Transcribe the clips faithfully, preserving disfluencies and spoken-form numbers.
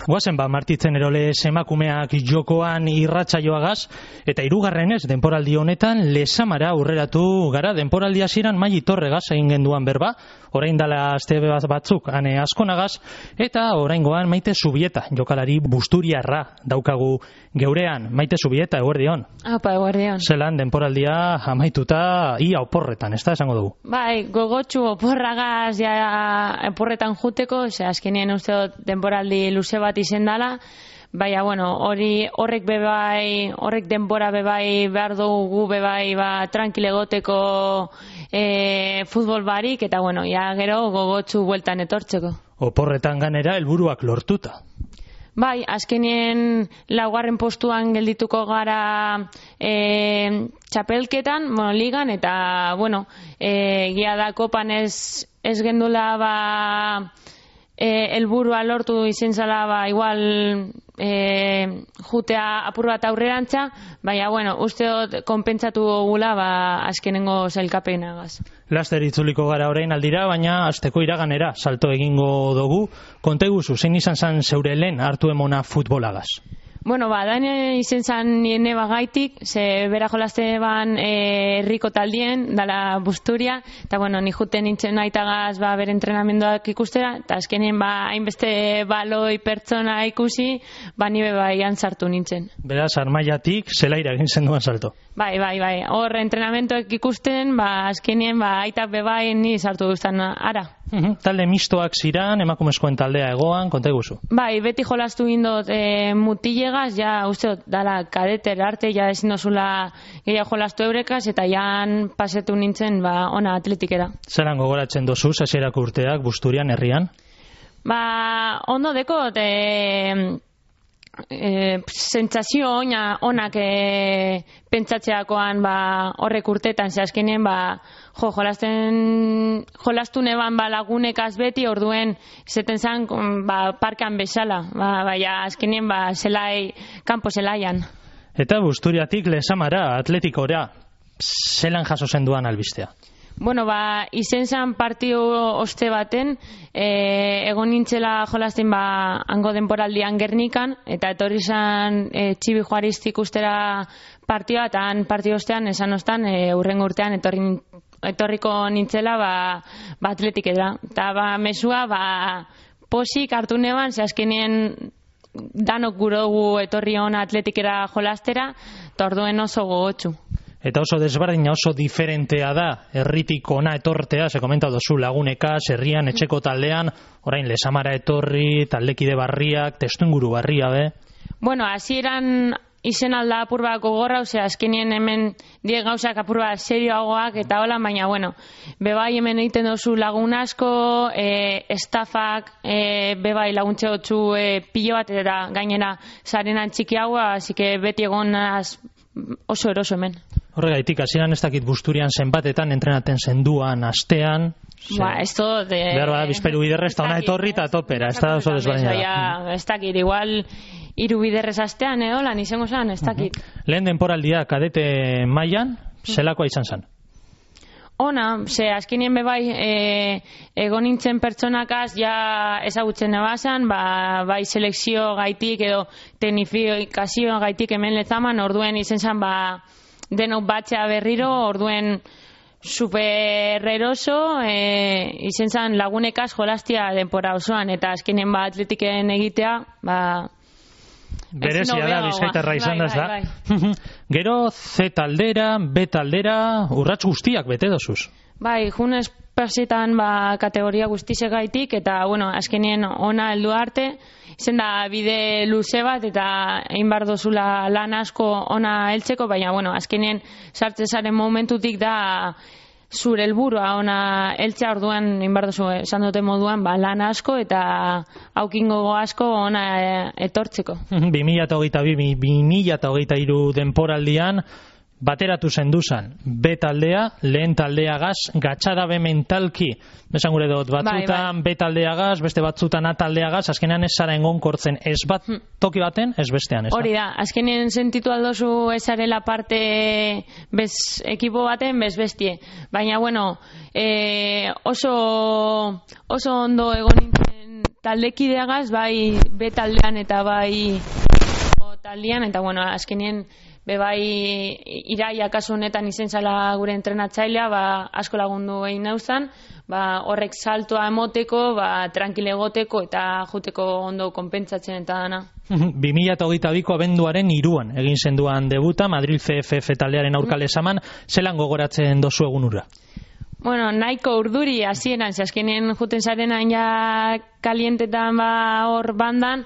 Guazen ba, Martitzen Erole emakumeak jokoan irratsaioagaz, eta hirugarrenez denporaldi honetan Lesamara aurreratu gara. Denporaldi hasieran Maili Torregaz egin genduan berba, orain dala aste batzuk ane askonagaz, eta oraingoan Maite Zubieta, jokalari busturiarra daukagu geurean. Maite Zubieta, eguerdion. Apa, eguerdion. Zelan denporaldia amaituta ia oporretan, ez da esango dugu? Bai, gogotsu oporragaz ja oporretan juteko, ze azkenien uste dut denporaldi luze bat izen dala, baina, bueno, hori horrek bebai, horrek denbora bebai behar dugu bebai, ba, tranquile goteko e, futbol barik, eta, bueno, ja gero gogotsu bueltan etortzeko. Oporretan ganera helburuak lortuta. Bai, azkenien laugarren postuan geldituko gara e, txapelketan, bueno, ligan, eta, bueno, e, gia da kopan ez, ez gendula, ba, helburua lortu izen zala, ba, igual e, jutea apur bat aurrerantza, baina, bueno, uste dut konpentsatu gula, ba, azkenengo zailkapenagaz. Laster itzuliko gara orain aldira, baina asteko iraganera salto egingo dugu. Konteguzu, zein izan zan zeure lehen hartu emona futbolagaz? Bueno, ba, daine izen zan nire bagaitik, ze bera jolazte ban herriko taldien, dala Busturia, eta, bueno, ni juten nintzen naitagaz, ba, bere entrenamenduak ikustera, eta azkenien, ba, hainbeste baloi pertsona ikusi, ba, nire bai sartu nintzen. Beraz, Armaiatik zelaira egin zenduan salto. Bai, bai, bai, hor entrenamenduak ikusten, ba, azkenien, ba, aitak bebai ni sartu duztan ara. Uhum, talde mistoak ziran, emakumezkoen taldea egoan, konta guzu. Bai, beti jolastu gindot e, mutilegaz, ja, uste dut, dala kadeter arte, ja ezin dozula gehiago jolastu eurekaz, eta jan pasetu nintzen, ba, ona atletikera. Zeran gogoratzen dozu, hasierako urteak, Busturian, herrian? Ba, ondo dekot, e, e, sentsazio ona, onak e, pentsatzeakoan, ba, horrek urtetan, ze azkenien, ba, jo, jolasten, jolastu neban ba, lagunekaz beti, orduen zeten zan, ba, parkan bezala, ba, baina azkenien, ba, zelai, kanpo zelaian. Eta Busturiatik Lesamara, atletikora, zelan jaso zenduan albistea? Bueno, ba, izen zan partio oste baten, e, egon nintzela jolasten, ba, hango denporaldian Gernikan, eta etorri zan e, txibi juaristik ustera partioa, eta han partio ostean, esan ostan, e, urrengo urtean etorri etorriko nintzela, ba, ba atletikera. Eta, ba, mesua, ba, posik hartu neban, ze azkenien danok gurogu etorri hona atletikera jolastera, eta orduen oso gogotsu. Eta oso desberdina, oso diferentea da, herritik ona etortea, ze komenta dozu lagunekaz, herrian, etxeko taldean, orain Lesamara etorri, taldekide barriak, testuinguru barria, be? Bueno, hasieran izen alda apur bat gogorra, ose, azkenien hemen die gauzak apur bat serioagoak eta hola, baina, bueno, bebai hemen egiten dozu lagun asko, e, estafak, e, bebai laguntze gotzu e, pilo bat, eta gainera zarenan txiki haua, así que beti egonaz oso eroso hemen. Horregaitik, hasieran ez dakit Busturian zenbatetan entrenaten zenduan, astean... Ba, ez dut... Behar bada, bizperu biderrez, eta ona etorri eta topera, ez da oso desberdina da. Ez dakit, igual... Iru biderrez astean, edo, lan izango zan, ez dakit. Uh-huh. Lehen denporaldia kadete mailan, zelakoa izan zan? Ona, ze azkenien bebai, e, egon nintzen pertsonakaz, ja ezagutzen nebazan, ba, bai selekzio gaitik, edo teknifikazio gaitik hemen Lezaman, orduen izen zan, ba, denok batzea berriro, orduen super eroso, e, izen zan lagunekaz jolastia denpora osoan, eta azkenien ba atletiken egitea, ba... Berezia da, bizkaitarra izan da, ez da. Gero, Z taldera, B taldera, urrats guztiak bete dozuz. Bai, junez persitan ba, kategoria guztizek gaitik, eta, bueno, azkenien ona heldu arte, izen da bide luze bat, eta egin bar dozula lan asko ona heltzeko, baina, bueno, azkenien sartzezaren momentutik da zure helburua ona heltzea, orduan egin bar dozu, esan dute moduan, ba, lan asko eta aukingo asko ona etortzeko. bi mila hogeita bi bi mila hogeita hiru denporaldian bateratu zenduzan B taldea, lehen taldeagaz, gatxada be mentalki, besan gure dut, batzutan bai, bai. B taldeagaz, beste batzutan A taldeagaz, azkenean ez zara engonkortzen ez bat toki baten, ez bestean, ez da? Hori da, azkenean sentitu aldozu ezarela parte bez ekipo baten, bez bestie. Baina, bueno, e, oso, oso ondo egon nintzen taldekideagaz, bai B taldean eta bai taldean, eta bueno, azkenien bebai Iraia kasu honetan izen zala gure entrenatzailea, ba, asko lagundu egin nauzan, ba, horrek saltoa emoteko, ba, tranquile egoteko eta juteko ondo konpentsatzen eta dana. bi mila hogeita biko abenduaren hiruan egin zenduan debuta, Madrid C F F taldearen aurka lesaman, zelan gogoratzen dozu egun hura? Bueno, nahiko urduri hasieran, ze azkenien juten zarenan ja kalientetan ba hor bandan,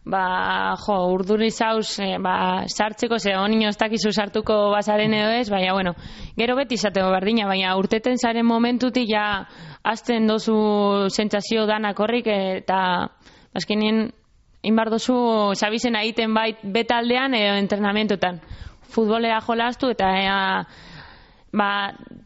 ba, jo, urduri zauz, e, ba, sartzeko, ze honino ez dakizu sartuko bazaren edo ez, baina, bueno, gero beti izateko berdina, baina urteten zaren momentutik ja azten dozu sentsazio danak horrik, eta azkenien inbar dozu sabizen egiten bait betaldean edo entrenamentotan. Futbolera jolastu eta ea, ba,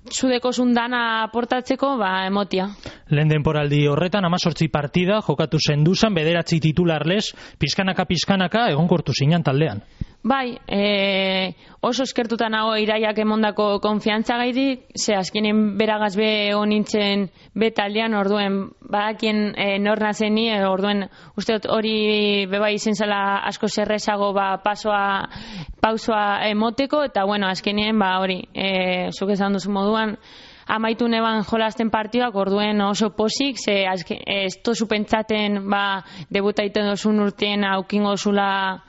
zudeko zundana aportatzeko, ba, emotia. Lehen denporaldi horretan, amazortzi partida jokatu zenduzan, bederatzi titularlez, pizkanaka-pizkanaka egonkortu zinan taldean. Bai, e, oso eskertuta nago Iraiak emondako konfiantza gaitik, ze azkenen beragaz be honintzen betaldean, orduen badakien e, nor nazen ni, e, orduen usteot hori beba izen zela asko zerrezago ba, pasoa, pausoa emoteko, eta bueno, azkenien ba hori, e, zuk esan duzu moduan, amaitu neban jolasten partioak, orduen oso posik, ze azken, ez tozu pentsaten ba, debuta iten dozun urtien aukingo zula,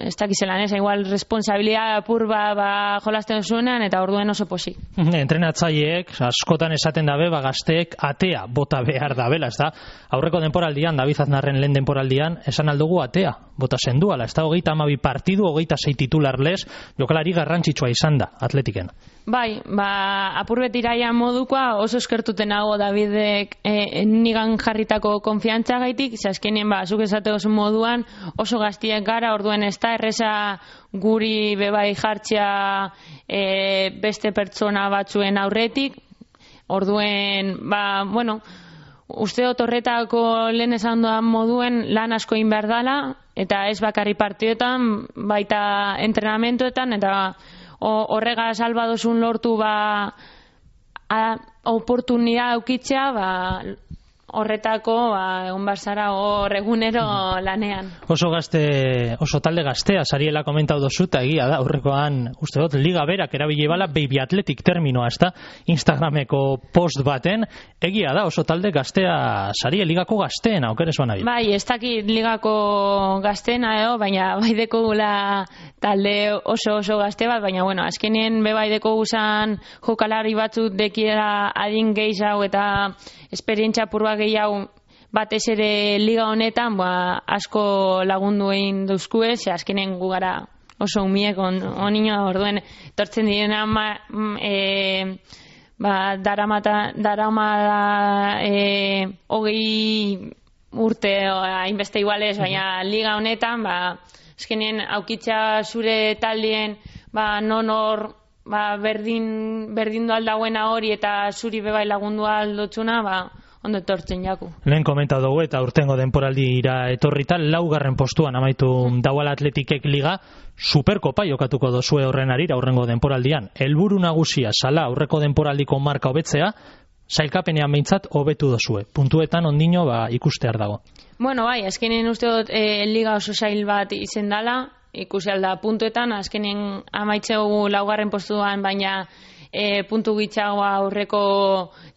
ez dakizelan ez, igual responsabilidad apur ba, ba jolasten zuenean, eta orduen oso posik. Entrenatzaileek askotan esaten dabe, ba gazteek atea bota behar dabela, ez da? Aurreko denporaldian, David Aznarren lehen denporaldian, esan aldugu atea bota zenduala, ez da? Hogeita amabi partidu, hogeita sei titularlez, jokalari garrantzitsua izan da, Atletiken. Bai, ba, apurbet Iraia modukoa oso eskertuten hago Davidek e, nigan jarritako konfiantza gaitik, ze azkenien ba, zuk esate oso moduan oso gaztiek gara, orduen ez da erreza guri bebai jartzea e, beste pertsona batzuen aurretik, orduen, ba, bueno, uste dut horretako lehen esan doan moduen lan asko egin dala, eta ez bakarri partioetan, baita entrenamentoetan, eta horrega salbadozun lortu ba oportunidad aukitzea ba horretako ba egon barzara hor egunero lanean. Oso gazte, oso talde gaztea sariela komentau dozu, eta egia da, aurrekoan uste dut liga berak erabili bala Baby Athletic terminoa, ez da, Instagrameko post baten, egia da, oso talde gaztea sarie ligako gazteena, okeres bana bila. Bai, ez dakit ligako gazteena edo, baina baideko gula talde oso oso gazte bat, baina bueno, azkenien bebaideko guzan jokalari batzut dekiera adin gehiago eta esperientzia purba gehiago batez ere liga honetan ba, asko lagundu egin duzkue, ze azkenen gu gara oso umiek on, onino orduen tortzen direna ma, e, ba, daramata, daramada e, hogei urte hainbeste iguales, baina liga honetan ba, azkenen aukitza zure taldien ba, non hor ba, berdin, berdindu aldagoena hori eta zuri bebai lagundu aldotzuna, ba, ondo etortzen jaku. Lehen komenta dugu eta urtengo denporaldira etorritan, laugarren postuan amaitu dauala Atletikek liga, superkopa jokatuko dozue horren arira aurrengo denporaldian. Helburu nagusia sala aurreko denporaldiko marka hobetzea, sailkapenean behintzat hobetu dozue. Puntuetan ondino ba, ikustear dago. Bueno, bai, azkenen uste dut e, liga oso sail bat izen dala, ikusi alda puntuetan, azkenen amaitzegu laugarren postuan, baina e, puntu gitxagoa aurreko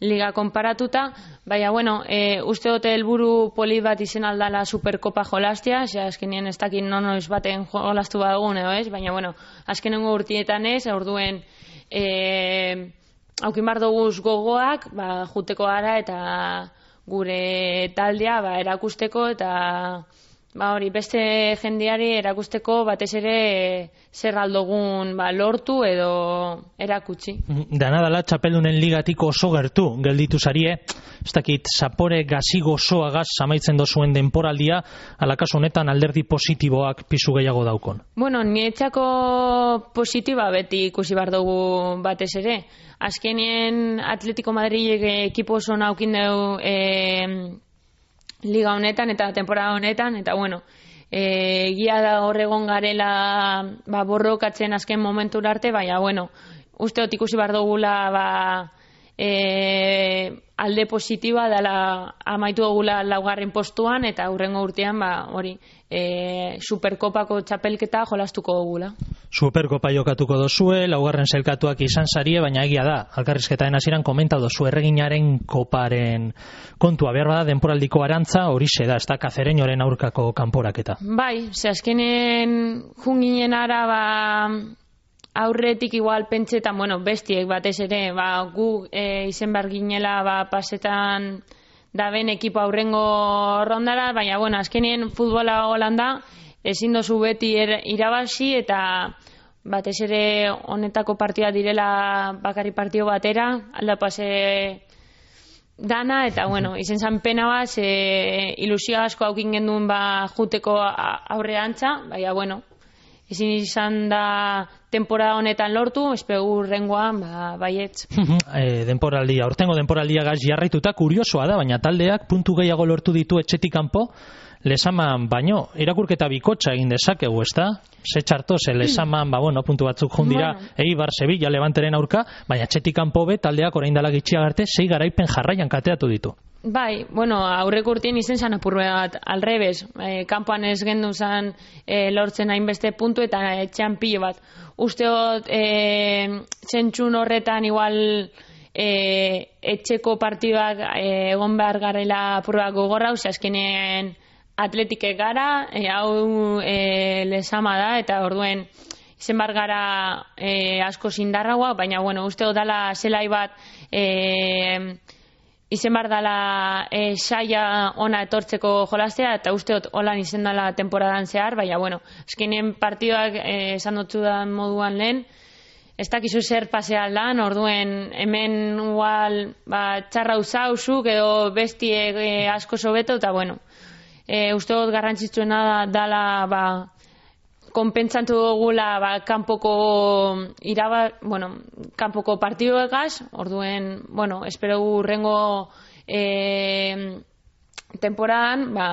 liga konparatuta, baina, bueno, e, uste dute helburu polit bat izen aldala superkopa jolastia, ze azkenien ez dakin nonoiz baten jolastu badugun edo ez, baina, bueno, azkenengo urtietan ez, orduen e, haukin bar doguz gogoak, ba, juteko gara eta gure taldea ba, erakusteko eta ba, hori beste jendeari erakusteko batez ere zer aldogun ba, lortu edo erakutsi. Dana dala txapeldunen ligatik oso gertu gelditu zarie, ez dakit zapore gazi gozoagaz amaitzen dozuen denporaldia, alakaso honetan alderdi positiboak pisu gehiago daukon. Bueno, niretzako positiba beti ikusi bar dugu batez ere. Azkenien Atletico Madrid ekipo oso naukin dugu e, liga honetan eta temporada honetan, eta bueno, e, egia da horregon garela ba, borrokatzen azken momentura arte, baina bueno, uste dut ikusi bar dugula ba, e, alde positiba dela amaitu dugula laugarren postuan eta hurrengo urtean ba, hori e, Superkopako txapelketa jolastuko dugula. Superkopa jokatuko dozue, laugarren zelkatuak izan zarie, baina egia da, alkarrizketaren hasieran komenta dozu erreginaren koparen kontua, behar bada denporaldiko arantza horixe da, ez da Kazereñoren aurkako kanporaketa. Bai, ze azkenen junginen ara ba, aurretik igual pentsetan, bueno, bestiek batez ere, ba, gu e, izen behar ginela ba, pasetan da ben ekipo aurrengo rondara, baina bueno, azkenien futbola Holanda ezin dozu beti er, irabazi eta batez ere honetako partida direla bakarri partio batera, alda pase dana, eta bueno, izen zan pena bat, e, ilusio asko haukin genduen ba, juteko aurre antza, baina bueno, ezin izan da temporada honetan lortu, espegu rengoan, ba, baietz. e, denporaldia, ortengo denporaldia gaz jarraituta, kuriosoa da, baina taldeak puntu gehiago lortu ditu etxetik kanpo, Lesaman baino, irakurketa bikotxa egin dezakegu, ez da? Ze txarto, ze Lesaman, ba, bueno, puntu batzuk jundira, bueno. Eibar, Sevilla, Levanteren aurka, baina etxetik kanpo be, taldeak orain dela gitxia garte, sei garaipen jarraian kateatu ditu. Bai, bueno, aurrek urtien izen zan apurre bat, alrebez, e, kanpoan ez gendu zan e, lortzen hainbeste puntu eta etxean pilo bat. Usteot, e, zentzun horretan igual e, etxeko partiduak e, egon behar garela apurrak gogorra, ose azkenen atletike gara, e, hau e, Lesama da, eta orduen izen bar gara e, asko zindarraua, baina bueno, usteot dala zelai bat e, izen bar dala e, saia ona etortzeko jolastea, eta usteot holan izen dala temporadan zehar, baina bueno, eskenien partidoak e, esan dutzu da moduan lehen, ez dakizu zer pasea aldan, orduen hemen igual ba, txarra usauzuk edo bestie e, asko sobeto, eta bueno, e, usteot garrantzitsuena dala ba, konpentsatu dugula ba, kanpoko iraba, bueno, kanpoko partiduegaz, orduen, bueno, espero urrengo e, temporadan, ba,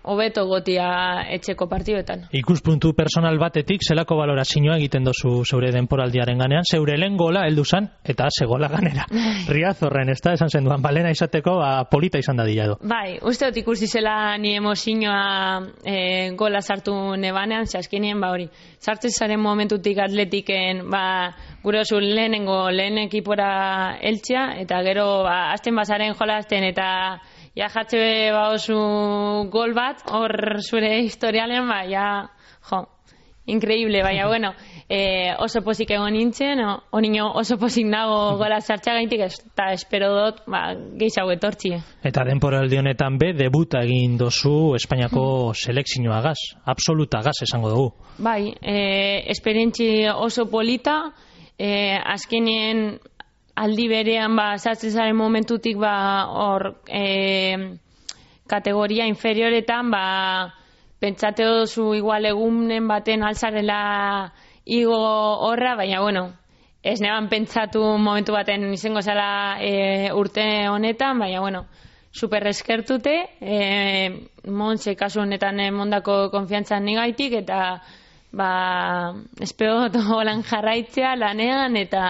hobeto gotia etxeko partiduetan. Ikuspuntu personal batetik, zelako balorazioa egiten dozu zeure denporaldiaren ganean, zeure lehen gola heldu zan, eta ze gola ganera. Riaz horren, ez da, esan zen duan, balena izateko, ba, polita izan da dila du. Bai, uste dut ikusi zela ni emozioa e, gola sartu nebanean, zaskinien, ba hori, sartzen zaren momentutik atletiken, ba, gure oso lehenengo lehen ekipora eltzia, eta gero, ba, azten bazaren jolazten, eta ja jatxe ba oso gol bat, hor zure historialen, ba, ja, jo, increíble, baina, bueno, eh, oso pozik egon nintzen, honino oso pozik nago gola sartxa gaintik, eta espero dut, ba, gehiago etortxie. Eta denporaldi honetan be, debuta egin dozu Espainiako selekzioa gaz, absoluta gaz esango dugu. Bai, eh, esperientzi oso polita, eh, azkenien aldi berean ba sartzen zaren momentutik ba hor e, kategoria inferioretan ba pentsate dozu igual egunen baten alzarela igo horra, baina bueno, ez neban pentsatu momentu baten izango zela e, urte honetan, baina bueno, super eskertute, e, Montse kasu honetan emondako konfiantzan nigaitik, eta ba espero holan jarraitzea lanean, eta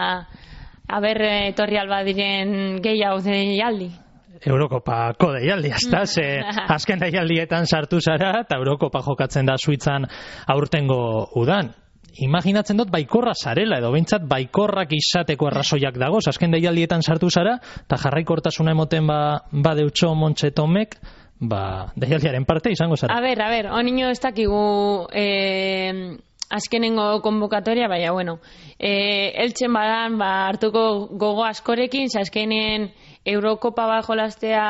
aber etorri alba diren gehiago deialdi. Eurokopako deialdi, ezta? Ze azken deialdietan sartu zara, eta Eurokopa jokatzen da Suitzan aurtengo udan. Imaginatzen dut baikorra zarela, edo behintzat baikorrak izateko arrazoiak dagoz, azken deialdietan sartu zara, eta jarraikortasuna emoten ba, badeutxo Montse Tomek, ba, deialdiaren parte izango zara. A ber, a ber, honino ez dakigu eh, azkenengo konbokatoria, baina, bueno, eh, eltzen badan, ba, hartuko gogo askorekin, azkenen Eurokopa bat jolastea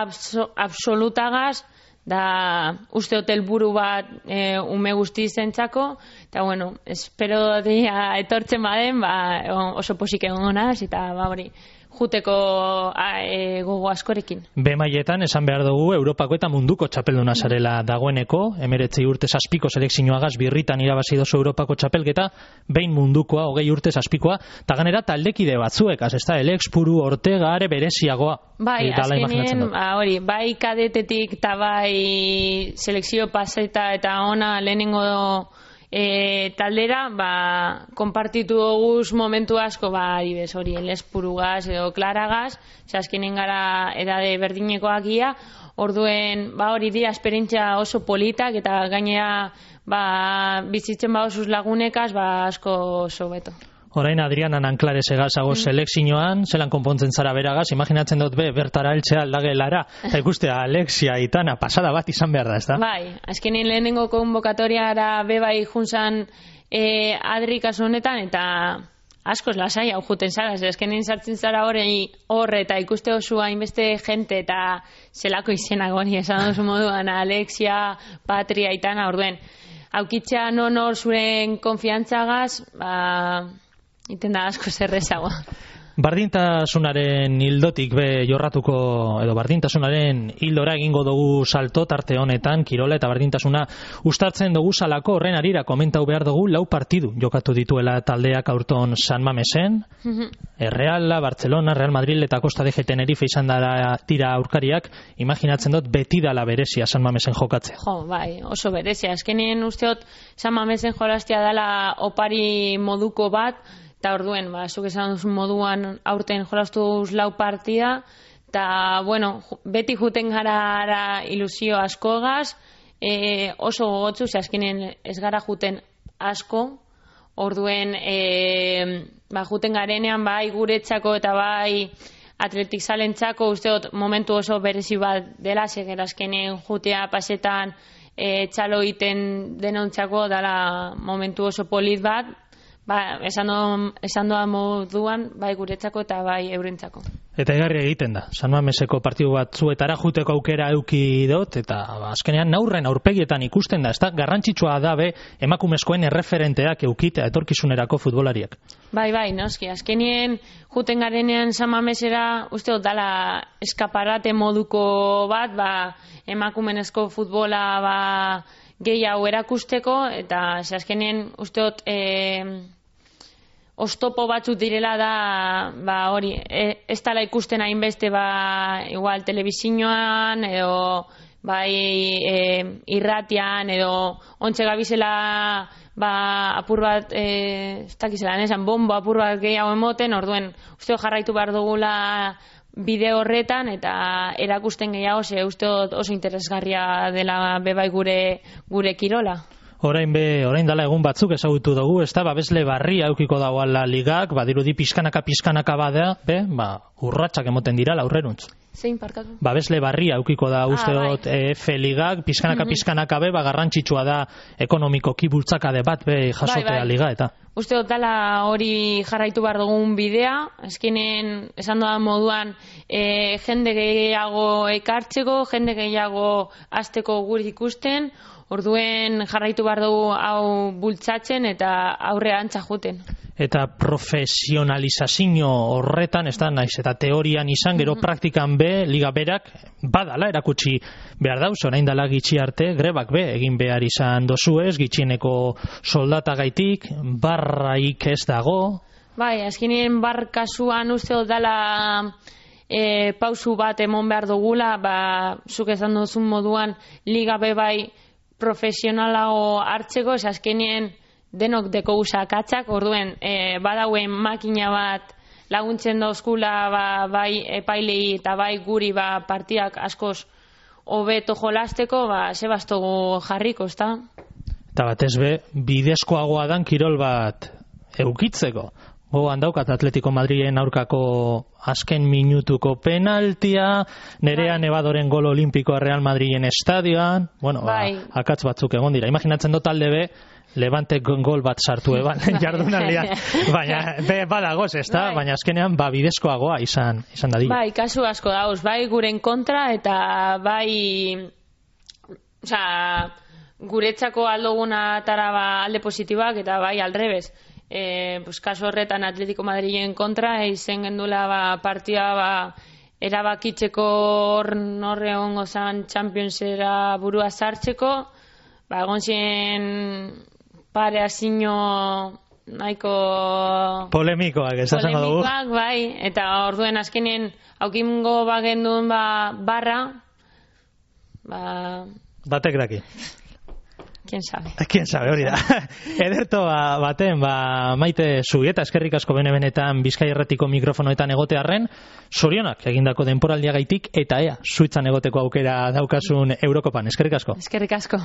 abso, absolutagaz, da uste hotel buru bat e, ume guzti zentzako, eta bueno, espero dia etortzen baden, ba, oso posik egon naz, eta ba hori, juteko a, e, gogo askorekin. Be mailetan esan behar dugu Europako eta munduko txapelduna zarela dagoeneko, emeretzi urte zazpiko selekzioagaz birritan irabazi dozu Europako txapelketa, behin mundukoa, hogei urte zazpikoa, eta ganera taldekide batzuek, az ez da, Elex, Puru, Ortega, are bereziagoa. Bai, azkenien, ba, hori, bai kadetetik eta bai selekzio paseta eta ona lehenengo e, taldera, ba, konpartitu guz momentu asko, ba, adibes, hori, Elespurugaz edo Klaragaz, azkenen gara edade berdinekoak ia, orduen, ba, hori dira, esperientzia oso politak, eta gainera, ba, bizitzen ba osuz lagunekaz, ba, asko oso beto. Orain Adrianan Anklares egazago mm. selekzioan, zelan konpontzen zara beragaz, imaginatzen dut be, bertara eltzea aldagelara, eta ikustea Alexia, Itana, pasada bat izan behar da, ez da? Bai, azkenin lehenengo konbokatoriara be bai junzan e, Adri kasu honetan, eta askoz lasai hau juten zara, azkenin sartzen zara horre, eta ikuste osu hainbeste jente, eta zelako izenak hori esan dozu moduan, Alexia, Patria, Itana, orduen, aukitzea non hor zuren konfiantzagaz, ba, iten da asko zerrezagoa. Bardintasunaren hildotik be jorratuko, edo bardintasunaren hildora egingo dugu salto tarte honetan, kirola eta bardintasuna ustartzen dugu salako horren arira komentau behar dugu lau partidu jokatu dituela taldeak aurton San Mamesen, Reala, Barcelona, Real Madrid eta Costa de Tenerife izan dara tira aurkariak, imaginatzen dut beti dala berezia San Mamesen jokatzea. Jo, bai, oso berezia, azkenien usteot San Mamesen jolastia dala opari moduko bat, eta orduen, ba, zuk esan duzun moduan aurten jolastuz lau partida, eta, bueno, beti juten gara ilusio askogaz, e, oso gogotzu, ze azkenen ez gara juten asko, orduen, e, ba, juten garenean, bai guretzako eta bai atletik zalentzako, usteot momentu oso berezi bat dela, seger azkenen jutea pasetan e, txalo iten denontzako, dala momentu oso polit bat, ba, esan doa moduan, bai guretzako eta bai eurentzako. Eta egarri egiten da, San Mameseko partidu bat zuetara juteko aukera euki dut, eta ba, azkenean naurren aurpegietan ikusten da, ez da, garrantzitsua da be emakumezkoen erreferenteak eukitea etorkizunerako futbolariak. Bai, bai, noski, azkenien juten garenean San Mamesera, uste dut dala eskaparate moduko bat, ba, emakumenezko futbola ba, gehiago erakusteko, eta azkenien uste dut e, oztopo batzuk direla da, ba hori, e, ez dala ikusten hainbeste ba, igual telebizioan, edo bai e, irratian, edo ontxe gabizela ba, apur bat, e, ez dakizela, nesan, bombo apur bat gehiago emoten, orduen, uste dut jarraitu behar dugula bide horretan, eta erakusten gehiago, ze uste dut oso interesgarria dela bebai gure, gure kirola. Orain be, orain dala egun batzuk ezagutu dugu, ez da, babesle barria eukiko dagoala ligak, badirudi pizkanaka pizkanaka bada, be, ba, urratsak emoten dira aurreruntz. Zein parkatu? Babesle barria eukiko da uste ah, dut bai. F-ligak, pizkanaka pizkanaka be, ba, garrantzitsua da ekonomikoki bultzakade bat be jasotea bai, bai. Liga, eta. Uste dut dala hori jarraitu behar dugun bidea, azkenen esan doan moduan e, jende gehiago ekartzeko, jende gehiago azteko gure ikusten, orduen jarraitu behar dugu hau bultzatzen eta aurre antza juten. Eta profesionalizazio horretan, ez da, naiz, eta teorian izan, gero mm-hmm. praktikan be, liga berak, badala erakutsi behar dauz, orain dala gitxi arte, grebak be, egin behar izan dozuez, gitxieneko soldatagaitik, barraik ez dago. Bai, azkenien bar kasuan uste dut dala e, pausu bat emon behar dugula, ba, zuk esan duzun moduan, liga be bai, profesionalago hartzeko, ez azkenien denok deko usakatzak, orduen e, badauen makina bat laguntzen dauzkula ba, bai epailei eta bai guri ba, partiak askoz hobeto jolasteko, ba, sebastogu jarriko, ezta? Eta batez be, bidezkoagoa dan kirol bat eukitzeko. Gogoan daukat Atletico Madriden aurkako azken minutuko penaltia, Nerea bai. Nevadoren gol olimpikoa Real Madriden estadioan, bueno, bai. ba, akatz batzuk egon dira. Imaginatzen dut talde be, Levante gol bat sartu eban, jardunaldian, baina be, badagoz, ez da? Bai. Baina azkenean ba, bidezkoagoa izan, izan dadila. Bai, kasu asko dauz, bai guren kontra eta bai, oza, guretzako aldoguna tara ba, alde positibak eta bai aldrebez. E, pues, kaso horretan Atletico Madriden kontra izen gendula ba, partia ba, erabakitzeko norre hongo zan Championsera burua sartzeko, ba, egon ziren pare asino nahiko polemikoak, ez azango dugu. Polemikoak, bai, eta orduen azkenien aukingo bagendun ba, barra ba... batek daki. quién sabe. Quién sabe, hori da. Ederto ba, baten, ba, Maite Zubieta, eskerrik asko bene-benetan Bizkai Irratiko mikrofonoetan egotearren, zorionak egindako denporaldiagaitik, eta ea, Suitzan egoteko aukera daukasun Eurokopan. Eskerrik asko. Eskerrik asko.